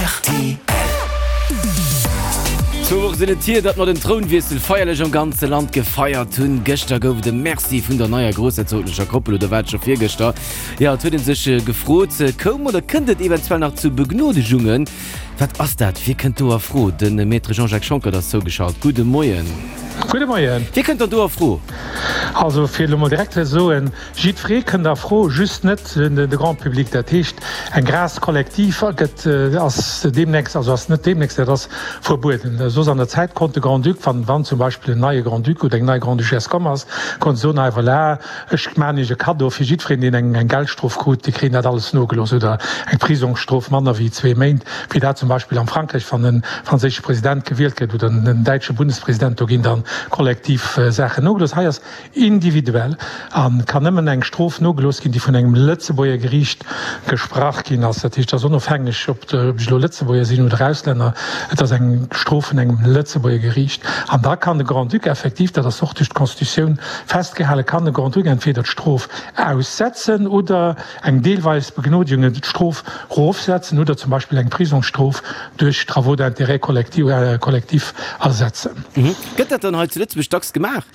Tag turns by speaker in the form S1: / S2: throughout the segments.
S1: Rtl. Zwou Woche sinn et hier, datt mer den Trounwiessel feierlech am ganze Land gefeiert hunn. Gëschter gouf et e Merci vun der neier groussherzoglecher Koppel, oder war et scho virgëschter? Jo, et huet ee sech gefrot, koum oder kënnt et eventuell nach zu Begnodegungen? Wat ass dat? Wie kënnt do a Fro? De Maître Jean-Jacques Schonckert ass zougeschalt. Gudde Moien.
S2: Gudde Moien.
S1: Wie kënnt dann do a Fro?
S2: Also fir elo mol direkt ze soen, Jiddweree kënnt a Fro, just net de Grand public. Dat heescht, eng Grâce collective gëtt, ass deemnächst, also ass net deemnächst, dat ass verbueden. Soss an der Zäit konnt de Grand-Duc, wann, wann zum Beispill en neie Grand-Duc oder eng nei Grande-Duchesse komm ass, konnt soen, hei voilà, ech maachen Iech e Kaddo fir jiddwereen, deen eng, eng Geldstrof krut, dee kritt dat alles nogelooss oder eng Prisongsstrof manner wéi zwee Méint, wéi dat zum Beispill am Frankräich, wann e franséische President gewielt gëtt oder en däitsche Bundespresident, do ginn dann kollektiv Saachen nogelooss. Hei ass Individuell a kann nëmmen eng Strof nogelooss ginn, déi vun engem Lëtzebuerger Geriicht gesprach ginn ass. Dat heescht, et ass onofhängeg, ob ech elo Lëtzebuerger sinn oder Auslänner, et ass eng Strof vun engem Lëtzebuerger Geriicht. An da kann de Grand-Duc effektiv, dat ass och duerch d'Constitutioun festgehalen, kann de Grand-Duc entweder d'Strof aussetzen oder eng deelweis Begnodigung, d'Strof erofsetzen oder zum Beispill eng Prisongsstrof duerch Travaux d'intérêt collectif ersetzen.
S1: Gëtt dat dann hei zu Lëtzebuerg dacks gemaach?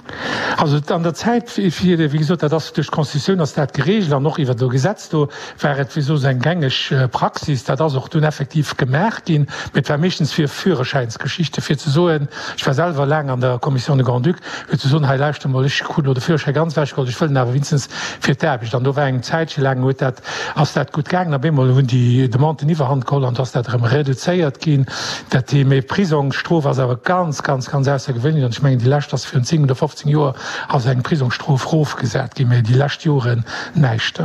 S2: Also an der Zäit, wéi gesot, dat ass duerch d'Constitutioun ass dat geregelt an och iwwert e Gesetz, do war et wéi soss eng gängeg Praxis. Dat ass och dunn effektiv gemaach ginn, mee et war meeschtens fir Führerschäinsgeschichte fir ze soen, ech war selwer laang an der Commission de Grand-Duc, fir ze soen, hei lauschter mol, ech krut elo de Führerschäi ganz ewechgeholl, ech wëll en awer wéinstens fir d'Aarbecht. An do war eng Zäitche laang huet dat, ass dat gutt gaangen. Op eemol hunn déi Demanden d'Iwwerhand geholl an do ass dat erëm reduzéiert ginn. Dat Thema mee Prisongsstrof ass awer ganz, ganz, ganz aussergewéinlech an ech mengen déi lescht ass virun 10 oder 15 Joer ass eng Prisongsstrof rofgesat ginn, mee déi lescht Joren näischt.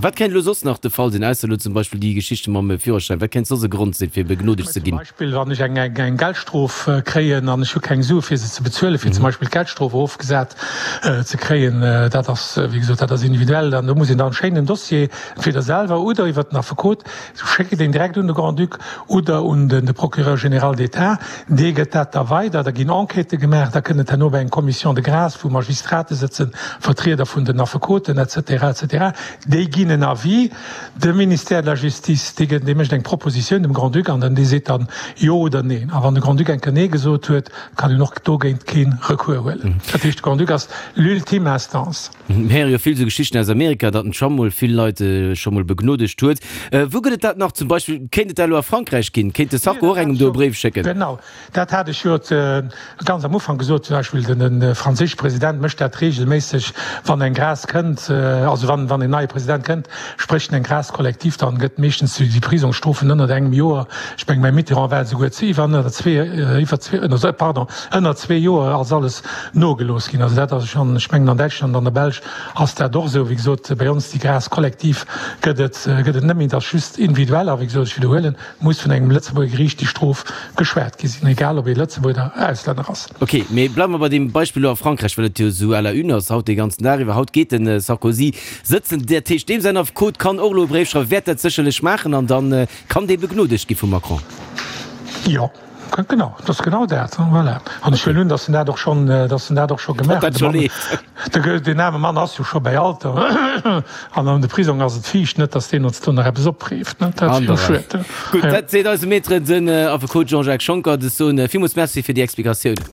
S1: Wat kéint elo soss nach de Fall sinn, ausser elo zum Beispill déi Geschichte mam Führerschäin? Wat kéint soss e Grond sinn, fir begnodegt ze
S2: ginn? Zum Beispill wann ech eng Geldstrof kréien an ech hu keng Sue fir se ze bezuelen, fir zum Beispill d'Geldstrof erofgesat ze kréien. Dat ass, wéi gesot, dat ass individuell an do muss een dann schéin den Dossier entweder selwer oder iwwert den Affekot Schéckt een direkt un de Grand-Duc oder un de Procureur général d'État, dee gëtt dat da weider, da ginn Enquêtë gemaach, da kënnt et herno bei eng Commission de grâce, wou Magistrate sëtzen, Vertrieder vun den Affekoten, et cetera, et cetera. Déi ginn en Avis. De Ministère de la Justice, dee gëtt, dee mécht eng Propositioun dem Grand-Duc an dann dee seet dann Jo oder Neen. A wann de Grand-Duc eng Kéier Nee gesot huet, kann een och dogéint kee Recours huelen. Dat heescht, de Grand-Duc ass l'ultime instance.
S1: Mir héiere jo vill esou Geschichten aus Amerika, datt den Trump mol vill Leit scho mol begnodegt huet. Wou gëtt et dat nach? Zum Beispill kéint et dat elo a Frankräich ginn? Kéint de Sarko och engem do e Bréif schécken?
S2: Genau, dat hat ech jo ganz am Ufank gesot. Zum Beispill de franséische President mécht dat reegelméisseg, wann eng Grâce kënnt, also wann en neie President kënnt, sprécht en eng Grâce collective, dann gëtt meeschtens déi Prisongsstrofen ënnert engem Joer, ech mengen beim Mitterrand war et esouguer iwwer ënnert zwee, iwwer zwee, pardon, ënnert zwee Joer ass alles nogelooss ginn. Also dat ass schonn, ech mengen an Däitschland, an der Belsch ass dat och esou. Wéi gesot, bei ons déi Grâce collective gëtt et, gëtt et net méi, et ass just individuell. A wéi gesot, ech widderhuelen, et muss vun engem Lëtzebuerger Geriicht déi Strof geschwat gi sinn, egal ob ee Lëtzebuerger oder Auslänner ass.
S1: Ok, mee bleiwe mer bei deem Beispill elo a Frankräich, well et jo esou à la une ass haut dee ganzen Dag iwwer. Haut geet de Sarkozy sëtzen, dat heescht deem säin Affekot kann och elo e Bréif schreiwen, wäert dat sécherlech maachen an da kann dee begnodegt gi vum Macron.
S2: Jo. Genau, dat ass genau dat. Voilà. An ech huelen un, datt en dat och schonn, datt en dat och scho gemaach huet. De Mann, deen aarme Mann ass jo scho bäi Alter an an de Prisong ass et fiicht, net datt deen ons do nach eppes opreeft, ne? Dat ass jo schued.
S1: Gutt, dat seet eise Maître, den Affekot Jean-Jacques Schonckert. Ech soen villmools Merci fir déi Explikatioun.